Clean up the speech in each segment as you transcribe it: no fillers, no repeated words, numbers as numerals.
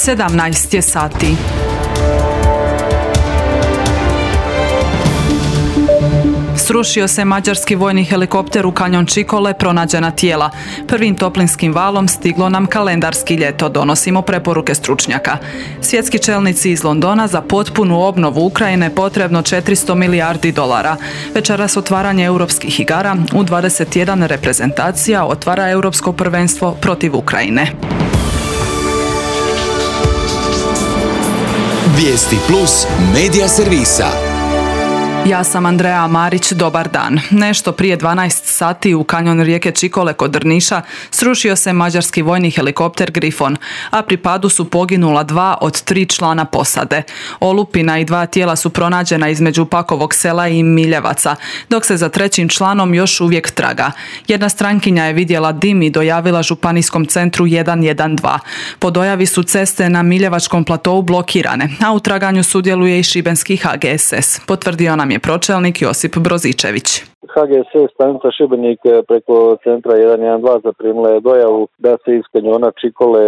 17 je sati. Srušio se mađarski vojni helikopter u kanjon Čikole, pronađena tijela. Prvim toplinskim valom stiglo nam kalendarski ljeto, donosimo preporuke stručnjaka. Svjetski čelnici iz Londona za potpunu obnovu Ukrajine potrebno 400 milijardi dolara. Večeras otvaranje europskih igara, u 21 reprezentacija otvara europsko prvenstvo protiv Ukrajine. Vijesti plus medija servisa. Ja sam Andreja Marić, dobar dan. Nešto prije 12 sati u kanjon rijeke Čikole kod Drniša srušio se mađarski vojni helikopter Grifon, a pri padu su poginula 2 od 3 člana posade. Olupina i 2 tijela su pronađena između Pakovog sela i Miljevaca, dok se za 3. članom još uvijek traga. Jedna strankinja je vidjela dim i dojavila županijskom centru 112. Po dojavi su ceste na Miljevačkom platou blokirane, a u traganju sudjeluje i šibenski HGSS, potvrdio nam je pročelnik Josip Brozičević. HGSS stanica Šibenik preko centra 112 zaprimila je dojavu da se iz kanjona Čikole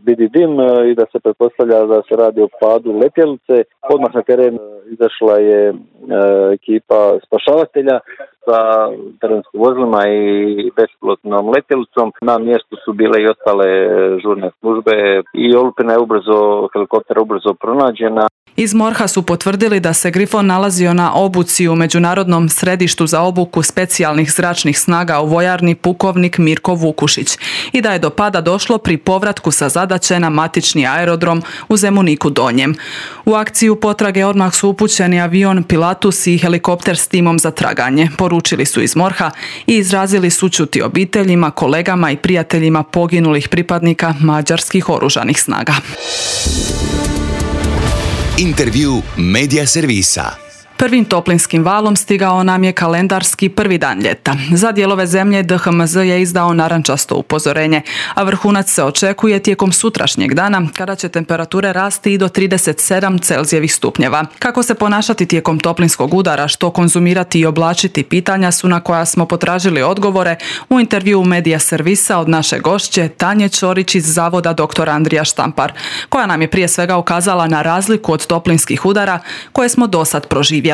vidi dim i da se pretpostavlja da se radi o padu letjelice. Odmah na teren izašla je ekipa spašavatelja sa terenskim vozilima i bespilotnom letjelicom. Na mjestu su bile i ostale žurne službe i olupina je helikopter ubrzo pronađena. Iz MORH-a su potvrdili da se Grifon nalazio na obuci u Međunarodnom središtu za obuku specijalnih zračnih snaga u vojarni pukovnik Mirko Vukušić i da je do pada došlo pri povratku sa zadaće na matični aerodrom u Zemuniku Donjem. U akciju potrage odmah su upućeni avion Pilatus i helikopter s timom za traganje, poručili su iz MORH-a i izrazili sućuti obiteljima, kolegama i prijateljima poginulih pripadnika mađarskih oružanih snaga. Intervju medija servisa. Prvim toplinskim valom stigao nam je kalendarski prvi dan ljeta. Za dijelove zemlje DHMZ je izdao narančasto upozorenje, a vrhunac se očekuje tijekom sutrašnjeg dana, kada će temperature rasti i do 37 Celzijevih stupnjeva. Kako se ponašati tijekom toplinskog udara, što konzumirati i oblačiti, pitanja su na koja smo potražili odgovore u intervjuu medija servisa od naše gošće Tanje Ćorić iz Zavoda dr. Andrija Štampar, koja nam je prije svega ukazala na razliku od toplinskih udara koje smo dosad proživjeli.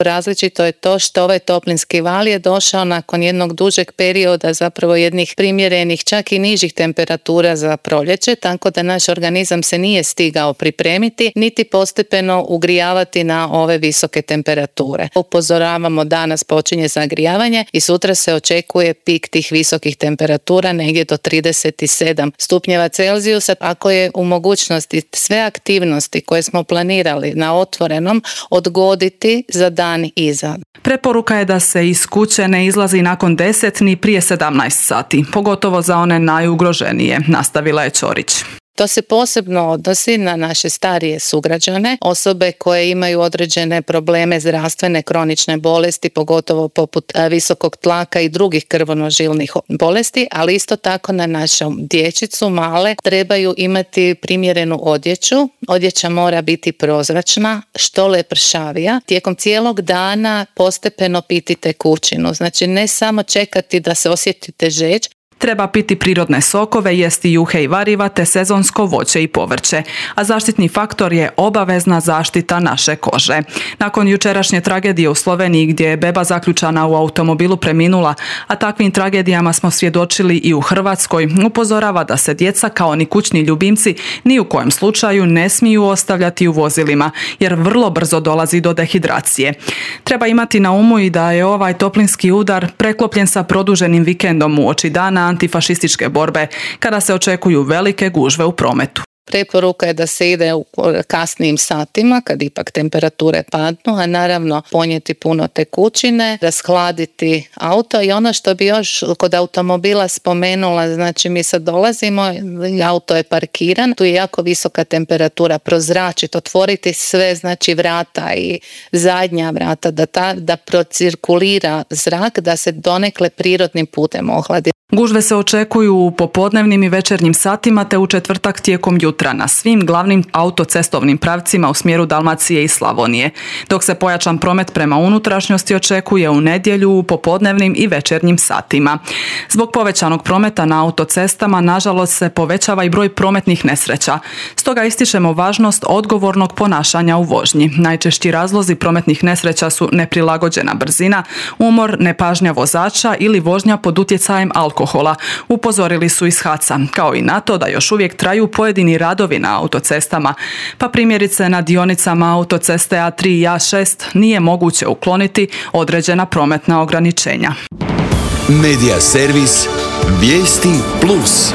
Različito je to što ovaj toplinski val je došao nakon jednog dužeg perioda, zapravo jednih primjerenih, čak i nižih temperatura za proljeće, tako da naš organizam se nije stigao pripremiti, niti postepeno ugrijavati na ove visoke temperature. Upozoravamo, danas počinje zagrijavanje i sutra se očekuje pik tih visokih temperatura negdje do 37 stupnjeva Celzijusa. Ako je u mogućnosti sve aktivnosti koje smo planirali na otvorenom odgoditi za dan iza. Preporuka je da se iz kuće ne izlazi nakon 10 ni prije 17 sati, pogotovo za one najugroženije, nastavila je Ćorić. To se posebno odnosi na naše starije sugrađane, osobe koje imaju određene probleme zdravstvene, kronične bolesti, pogotovo poput visokog tlaka i drugih krvonožilnih bolesti, ali isto tako na našu dječicu male trebaju imati primjerenu odjeću. Odjeća mora biti prozračna, što lepršavija. Tijekom cijelog dana postepeno piti tekućinu, znači ne samo čekati da se osjetite žeđ. Treba piti prirodne sokove, jesti juhe i variva te sezonsko voće i povrće, a zaštitni faktor je obavezna zaštita naše kože. Nakon jučerašnje tragedije u Sloveniji gdje je beba zaključana u automobilu preminula, a takvim tragedijama smo svjedočili i u Hrvatskoj, upozorava da se djeca kao ni kućni ljubimci ni u kojem slučaju ne smiju ostavljati u vozilima, jer vrlo brzo dolazi do dehidracije. Treba imati na umu i da je ovaj toplinski udar preklopljen sa produženim vikendom uoči dana antifašističke borbe, kada se očekuju velike gužve u prometu. Preporuka je da se ide u kasnijim satima, kad ipak temperature padnu, a naravno ponijeti puno tekućine, rashladiti auto i ono što bi još kod automobila spomenula, znači mi sad dolazimo, auto je parkiran, tu je jako visoka temperatura, prozračiti, otvoriti sve, znači vrata i zadnja vrata, da procirkulira zrak, da se donekle prirodnim putem ohladi. Gužve se očekuju u popodnevnim i večernjim satima te u četvrtak tijekom jutra na svim glavnim autocestovnim pravcima u smjeru Dalmacije i Slavonije, dok se pojačan promet prema unutrašnjosti očekuje u nedjelju u popodnevnim i večernjim satima. Zbog povećanog prometa na autocestama, nažalost, se povećava i broj prometnih nesreća. Stoga ističemo važnost odgovornog ponašanja u vožnji. Najčešći razlozi prometnih nesreća su neprilagođena brzina, umor, nepažnja vozača ili vožnja pod utjecajem alkohola. Upozorili su iz HAC-a, kao i na to da još uvijek traju pojedini radovi na autocestama, pa primjerice na dionicama autoceste A3 i A6 nije moguće ukloniti određena prometna ograničenja. Medija servis Vijesti Plus.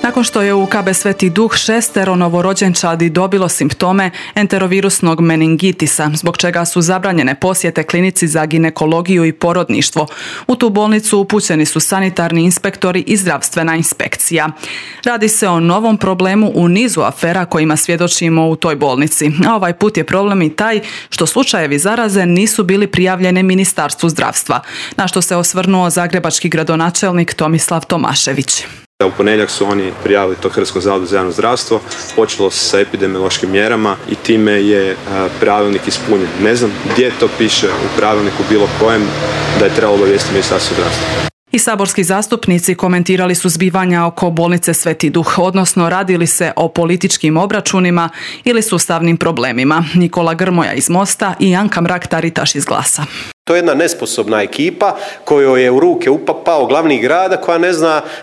Nakon što je u KB Sveti Duh 6 novorođenčadi dobilo simptome enterovirusnog meningitisa, zbog čega su zabranjene posjete klinici za ginekologiju i porodništvo, u tu bolnicu upućeni su sanitarni inspektori i zdravstvena inspekcija. Radi se o novom problemu u nizu afera kojima svjedočimo u toj bolnici, a ovaj put je problem i taj što slučajevi zaraze nisu bili prijavljene Ministarstvu zdravstva, na što se osvrnuo zagrebački gradonačelnik Tomislav Tomašević. U ponedjeljak su oni prijavili to Hrvatskom zavodu za javno zdravstvo, počelo se sa epidemiološkim mjerama i time je pravilnik ispunjen. Ne znam gdje to piše u pravilniku bilo kojem da je trebalo obavijestiti Ministarstvo zdravstva. I saborski zastupnici komentirali su zbivanja oko bolnice Sveti Duh, odnosno radi li se o političkim obračunima ili sustavnim problemima. Nikola Grmoja iz Mosta i Anka Mrak-Taritaš iz Glasa. To je jedna nesposobna ekipa kojoj je u ruke upao glavni grada koja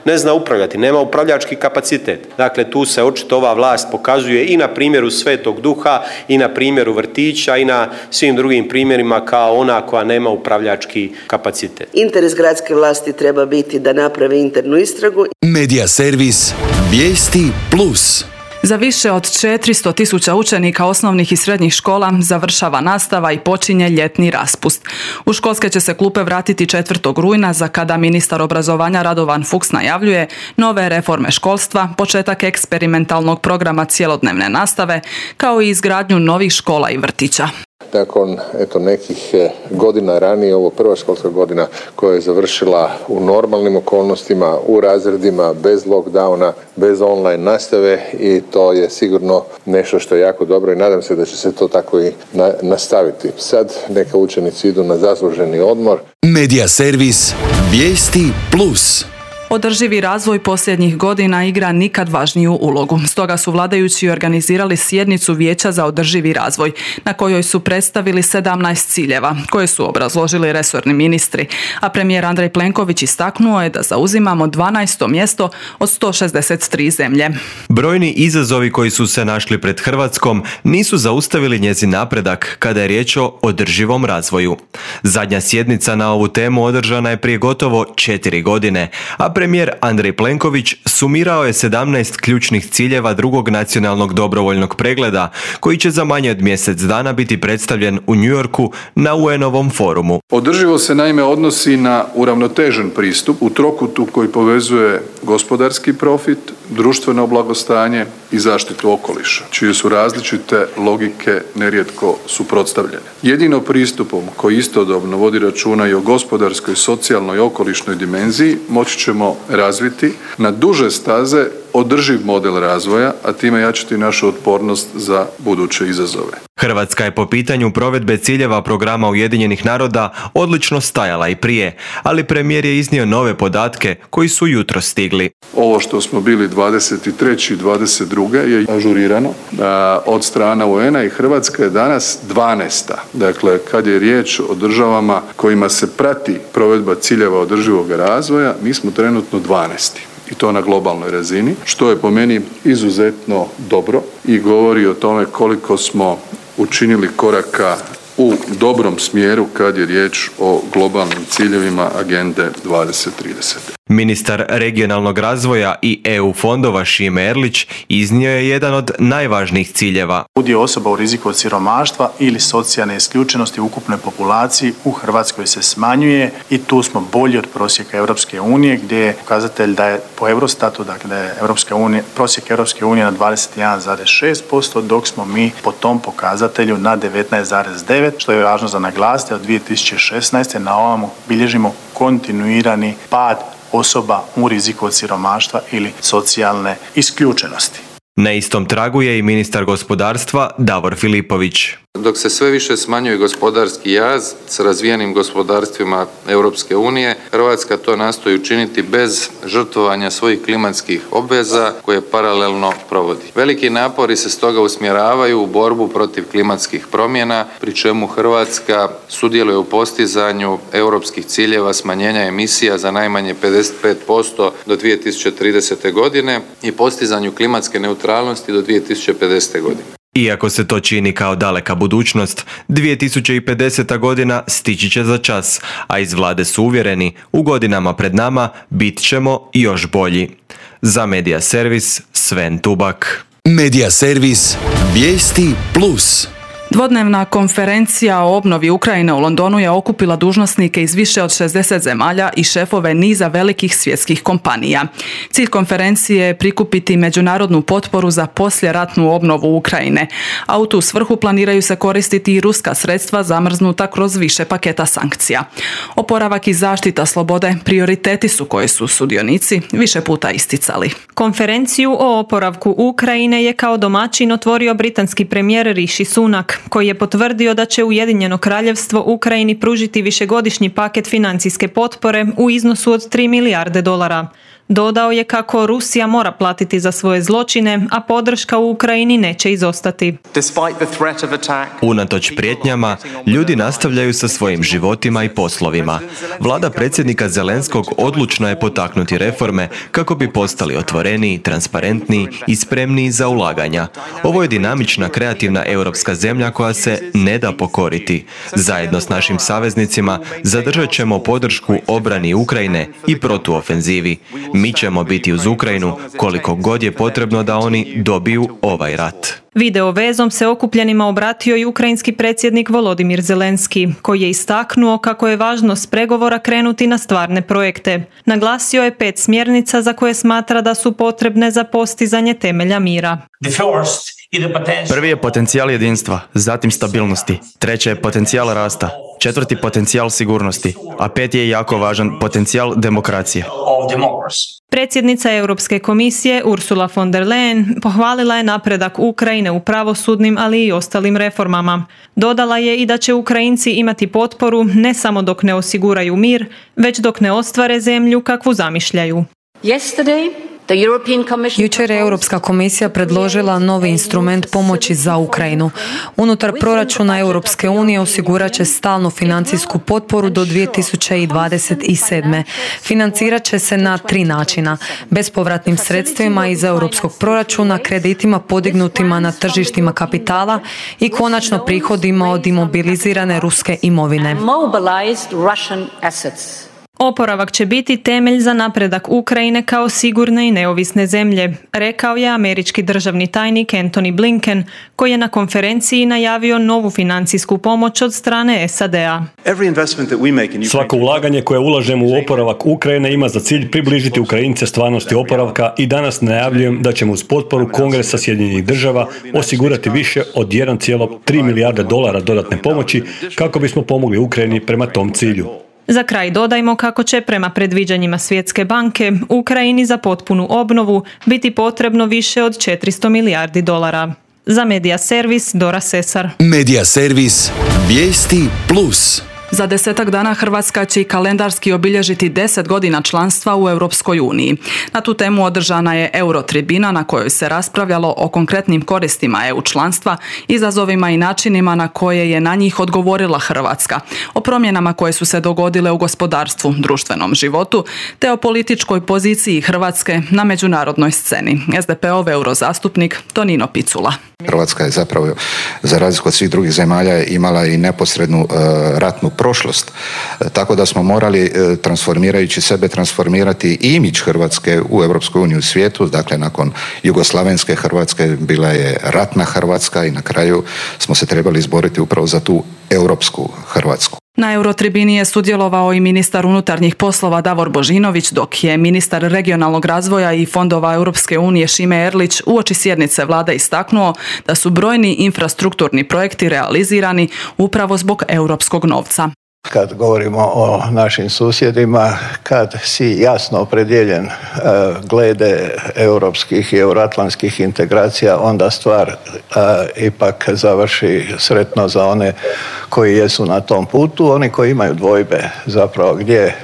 ne zna upravljati, nema upravljački kapacitet. Dakle, tu se očito ova vlast pokazuje i na primjeru Svetog Duha i na primjeru vrtića i na svim drugim primjerima kao ona koja nema upravljački kapacitet. Interes gradske vlasti treba biti da naprave internu istragu. Medija servis Vijesti Plus. Za više od 400.000 učenika osnovnih i srednjih škola završava nastava i počinje ljetni raspust. U školske će se klupe vratiti 4. rujna, za kada ministar obrazovanja Radovan Fuchs najavljuje nove reforme školstva, početak eksperimentalnog programa cjelodnevne nastave, kao i izgradnju novih škola i vrtića. Nakon nekih godina ranije, ovo prva školska godina koja je završila u normalnim okolnostima, u razredima, bez lockdowna, bez online nastave, i to je sigurno nešto što je jako dobro i nadam se da će se to tako i nastaviti. Sad neka učenici idu na zasluženi odmor. Medija servis Vijesti Plus. Održivi razvoj posljednjih godina igra nikad važniju ulogu. Stoga su vladajući organizirali sjednicu Vijeća za održivi razvoj, na kojoj su predstavili 17 ciljeva, koje su obrazložili resorni ministri, a premijer Andrej Plenković istaknuo je da zauzimamo 12. mjesto od 163 zemlje. Brojni izazovi koji su se našli pred Hrvatskom nisu zaustavili njezin napredak kada je riječ o održivom razvoju. Zadnja sjednica na ovu temu održana je prije gotovo 4 godine, a premijer Andrej Plenković sumirao je 17 ključnih ciljeva drugog nacionalnog dobrovoljnog pregleda, koji će za manje od mjesec dana biti predstavljen u New Yorku na UN-ovom forumu. Održivo se naime odnosi na uravnotežen pristup u trokutu koji povezuje gospodarski profit, društveno blagostanje i zaštitu okoliša, čije su različite logike nerijetko suprotstavljene. Jedino pristupom koji istodobno vodi računa i o gospodarskoj, socijalnoj i okolišnoj dimenziji moći ćemo razviti na duže staze održiv model razvoja, a time jačati našu otpornost za buduće izazove. Hrvatska je po pitanju provedbe ciljeva programa Ujedinjenih naroda odlično stajala i prije, ali premijer je iznio nove podatke koji su jutros stigli. Ovo što smo bili 23. i 22. je ažurirano od strana UN-a i Hrvatska je danas 12. Dakle, kad je riječ o državama kojima se prati provedba ciljeva održivog razvoja, mi smo trenutno 12. I to na globalnoj razini, što je po meni izuzetno dobro i govori o tome koliko smo učinili koraka u dobrom smjeru kad je riječ o globalnim ciljevima Agende 2030. Ministar regionalnog razvoja i EU fondova Šime Erlić iznio je jedan od najvažnijih ciljeva. Udio osoba u riziku od siromaštva ili socijalne isključenosti u ukupnoj populaciji u Hrvatskoj se smanjuje i tu smo bolji od prosjeka Europske unije, gdje je pokazatelj da je po Eurostatu, dakle da je prosjek Europske unije na 21,6%, dok smo mi po tom pokazatelju na 19,9%, što je važno za naglasiti, od 2016. na ovamo bilježimo kontinuirani pad osoba u riziku od siromaštva ili socijalne isključenosti. Na istom tragu je i ministar gospodarstva Davor Filipović. Dok se sve više smanjuje gospodarski jaz s razvijenim gospodarstvima Europske unije, Hrvatska to nastoji učiniti bez žrtvovanja svojih klimatskih obveza koje paralelno provodi. Veliki napori se stoga usmjeravaju u borbu protiv klimatskih promjena, pri čemu Hrvatska sudjeluje u postizanju europskih ciljeva smanjenja emisija za najmanje 55% do 2030. godine i postizanju klimatske neutralnosti do 2050. godine. Iako se to čini kao daleka budućnost, 2050. godina stići će za čas, a iz vlade su uvjereni, u godinama pred nama bit ćemo još bolji. Za Medija Servis, Sven Tubak. Medija Servis, vijesti plus. Dvodnevna konferencija o obnovi Ukrajine u Londonu je okupila dužnosnike iz više od 60 zemalja i šefove niza velikih svjetskih kompanija. Cilj konferencije je prikupiti međunarodnu potporu za poslijeratnu obnovu Ukrajine, a u tu svrhu planiraju se koristiti i ruska sredstva zamrznuta kroz više paketa sankcija. Oporavak i zaštita slobode prioriteti su koje su sudionici više puta isticali. Konferenciju o oporavku Ukrajine je kao domaćin otvorio britanski premijer Rishi Sunak, koji je potvrdio da će Ujedinjeno kraljevstvo Ukrajini pružiti višegodišnji paket financijske potpore u iznosu od 3 milijarde dolara. Dodao je kako Rusija mora platiti za svoje zločine, a podrška u Ukrajini neće izostati. Unatoč prijetnjama, ljudi nastavljaju sa svojim životima i poslovima. Vlada predsjednika Zelenskog odlučna je potaknuti reforme kako bi postali otvoreniji, transparentniji i spremniji za ulaganja. Ovo je dinamična, kreativna europska zemlja koja se ne da pokoriti. Zajedno s našim saveznicima zadržat ćemo podršku obrani Ukrajine i protuofenzivi. Mi ćemo biti uz Ukrajinu koliko god je potrebno da oni dobiju ovaj rat. Video vezom se okupljenima obratio i ukrajinski predsjednik Volodimir Zelenski, koji je istaknuo kako je važno s pregovora krenuti na stvarne projekte. Naglasio je 5 smjernica za koje smatra da su potrebne za postizanje temelja mira. Prvi je potencijal jedinstva, zatim stabilnosti. Treće je potencijal rasta. Četvrti potencijal sigurnosti, a 5 je jako važan potencijal demokracije. Predsjednica Europske komisije Ursula von der Leyen pohvalila je napredak Ukrajine u pravosudnim, ali i ostalim reformama. Dodala je i da će Ukrajinci imati potporu ne samo dok ne osiguraju mir, već dok ne ostvare zemlju kakvu zamišljaju. Jučer je Europska komisija predložila novi instrument pomoći za Ukrajinu. Unutar proračuna Europske unije osigurat će stalnu financijsku potporu do 2027. Financirat će se na 3 načina. Bespovratnim sredstvima iz europskog proračuna, kreditima podignutima na tržištima kapitala i konačno prihodima od imobilizirane ruske imovine. Oporavak će biti temelj za napredak Ukrajine kao sigurne i neovisne zemlje, rekao je američki državni tajnik Antony Blinken, koji je na konferenciji najavio novu financijsku pomoć od strane SAD-a. Svako ulaganje koje ulažemo u oporavak Ukrajine ima za cilj približiti Ukrajince stvarnosti oporavka i danas najavljujem da ćemo uz potporu Kongresa Sjedinjenih država osigurati više od 1,3 milijarde dolara dodatne pomoći kako bismo pomogli Ukrajini prema tom cilju. Za kraj dodajmo kako će prema predviđanjima Svjetske banke Ukrajini za potpunu obnovu biti potrebno više od 400 milijardi dolara. Za Medija Servis, Dora Sesar. Medija Servis, vijesti plus. Za 10 dana Hrvatska će kalendarski obilježiti 10 godina članstva u Europskoj uniji. Na tu temu održana je Eurotribina na kojoj se raspravljalo o konkretnim koristima EU članstva, izazovima i načinima na koje je na njih odgovorila Hrvatska, o promjenama koje su se dogodile u gospodarstvu, društvenom životu, te o političkoj poziciji Hrvatske na međunarodnoj sceni. SDP-ov eurozastupnik Tonino Picula. Hrvatska je zapravo, za razliku od svih drugih zemalja, imala i neposrednu ratnu prošlost. Tako da smo morali, transformirajući sebe, transformirati i imidž Hrvatske u Europskoj uniji, u svijetu. Dakle, nakon jugoslavenske Hrvatske bila je ratna Hrvatska i na kraju smo se trebali izboriti upravo za tu europsku Hrvatsku. Na Eurotribini je sudjelovao i ministar unutarnjih poslova Davor Božinović, dok je ministar regionalnog razvoja i fondova Europske unije Šime Erlić uoči sjednice vlade istaknuo da su brojni infrastrukturni projekti realizirani upravo zbog europskog novca. Kad govorimo o našim susjedima, kad si jasno opredjeljen glede europskih i euroatlantskih integracija, onda stvar ipak završi sretno za one koji jesu na tom putu. Oni koji imaju dvojbe zapravo gdje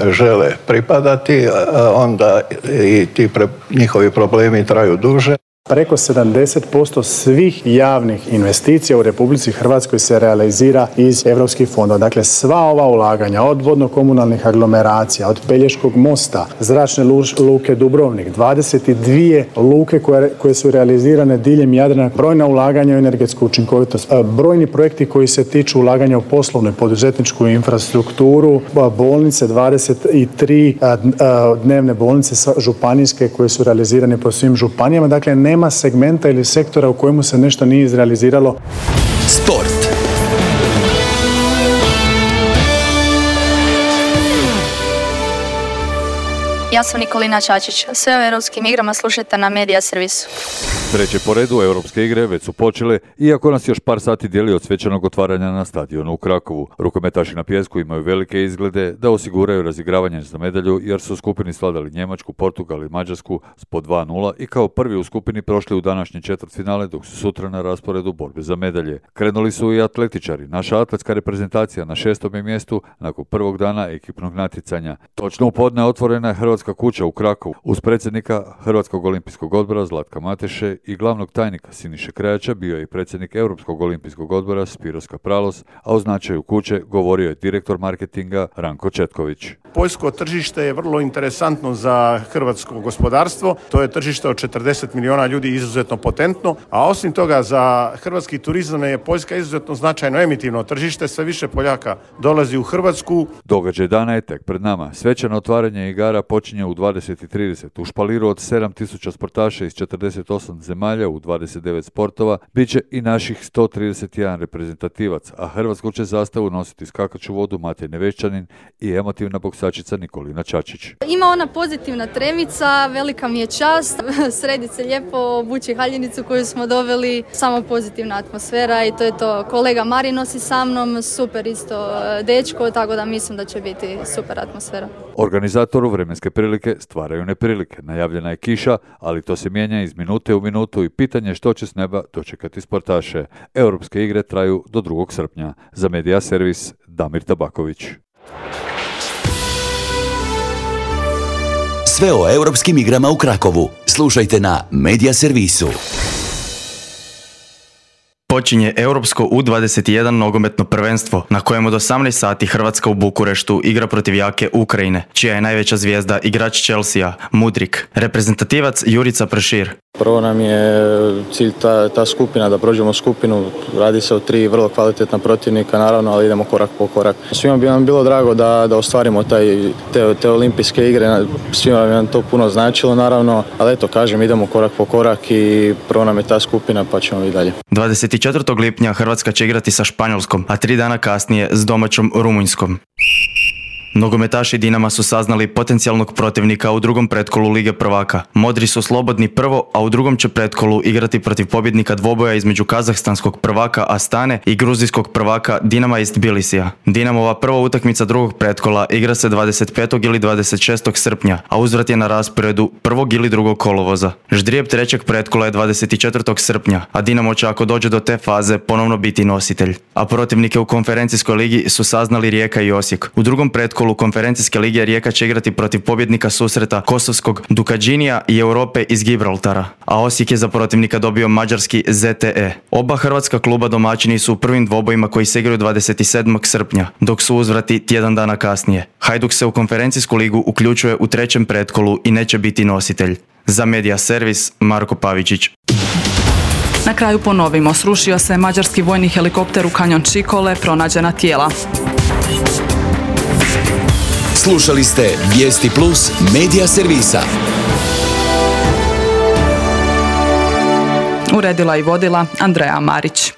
žele pripadati, onda i ti njihovi problemi traju duže. Preko 70% svih javnih investicija u Republici Hrvatskoj se realizira iz europskih fondova. Dakle, sva ova ulaganja od vodno-komunalnih aglomeracija, od Pelješkog mosta, zračne luke Dubrovnik, 22 luke koje su realizirane diljem Jadrana, brojna ulaganja u energetsku učinkovitost, brojni projekti koji se tiču ulaganja u poslovnu i poduzetničku infrastrukturu, bolnice, 23 dnevne bolnice županijske koje su realizirane po svim županijama. Dakle, nema segmenta ili sektora u kojemu se nešto nije izrealiziralo. Sport. Ja sam Nikolina Čačić. Sve o europskim igrama slušajte na Media Servisu. Treće po redu europske igre već su počele, iako nas još par sati dijeli od svečanog otvaranja na stadionu u Krakovu. Rukometaši na pijesku imaju velike izglede da osiguraju razigravanje za medalju, jer su u skupini svladali Njemačku, Portugal i Mađarsku s po 2:0 i kao prvi u skupini prošli u današnji četvrtfinale, dok su sutra na rasporedu borbe za medalje. Krenuli su i atletičari. Naša atletska reprezentacija na 6. mjestu nakon prvog dana ekipnog natjecanja. Točno u podne otvorena je Hrvatska kuća u Krakovu uz predsjednika Hrvatskog olimpijskog odbora Zlatka Mateše i glavnog tajnika Siniše Krajača bio je i predsjednik Europskog olimpijskog odbora Spiros Kapralos, a o značaju kuće govorio je direktor marketinga Ranko Četković. Poljsko tržište je vrlo interesantno za hrvatsko gospodarstvo. To je tržište od 40 milijuna ljudi, izuzetno potentno, a osim toga za hrvatski turizam je Poljska izuzetno značajno emitivno tržište. Sve više Poljaka dolazi u Hrvatsku. Događaj dana je tek pred nama. Svečano otvaranje igara počinje u 20:30. U špaliru od 7000 sportaša iz 48 zemalja u 29 sportova bit će i naših 131 reprezentativac, a Hrvatsku će zastavu nositi skakaču vodu Matej Nevešćanin i emotivna boksačica Nikolina Čačić. Ima ona pozitivna tremica, velika mi je čast, sredi se lijepo, obući haljinicu koju smo doveli, samo pozitivna atmosfera i to je to. Kolega Mari nosi sa mnom, super isto dečko, tako da mislim da će biti super atmosfera. Organizatoru vremenske prilike stvaraju neprilike. Najavljena je kiša, ali to se mijenja iz minute u minutu i pitanje što će s neba dočekati sportaše. Europske igre traju do 2. srpnja. Za Media Servis, Damir Tabaković. Sve o europskim igrama u Krakovu slušajte na Media Servisu. Počinje Europsko U21 nogometno prvenstvo, na kojem od 18 sati Hrvatska u Bukureštu igra protiv jake Ukrajine, čija je najveća zvijezda igrač Chelsea, Mudrik. Reprezentativac Jurica Pršir. Prvo nam je cilj ta skupina, da prođemo skupinu. Radi se o 3 vrlo kvalitetna protivnika, naravno, ali idemo korak po korak. Svima bi nam bilo drago da ostvarimo te olimpijske igre, svima bi nam to puno značilo, naravno, ali eto, kažem, idemo korak po korak i prvo nam je ta skupina, pa ćemo i dalje. 24. lipnja Hrvatska će igrati sa Španjolskom, a 3 dana kasnije s domaćom Rumunjskom. Nogometaši Dinama su saznali potencijalnog protivnika u drugom pretkolu Lige prvaka. Modri su slobodni prvo, a u drugom će pretkolu igrati protiv pobjednika dvoboja između kazahstanskog prvaka Astane i gruzijskog prvaka Dinama iz Tbilisija. Dinamova prva utakmica drugog pretkola igra se 25. ili 26. srpnja, a uzvrat je na rasporedu 1. ili 2. kolovoza. Ždrijeb trećeg pretkola je 24. srpnja, a Dinamo će, ako dođe do te faze, ponovno biti nositelj. A protivnike u konferencijskoj ligi su saznali Rijeka i Osijek. U drugom pretkolu konferencijske lige Rijeka će igrati protiv pobjednika susreta kosovskog Dukadžinija i Europe iz Gibraltara, a Osijek je za protivnika dobio mađarski ZTE. Oba hrvatska kluba domaćini su u prvim dvobojima koji se igraju 27. srpnja, dok su uzvrati tjedan dana kasnije. Hajduk se u konferencijsku ligu uključuje u trećem pretkolu i neće biti nositelj. Za Media Servis, Marko Pavičić. Na kraju ponovimo, srušio se mađarski vojni helikopter u kanjon Čikole, pronađena tijela. Slušali ste Vijesti Plus medija servisa. Uredila i vodila Andreja Marić.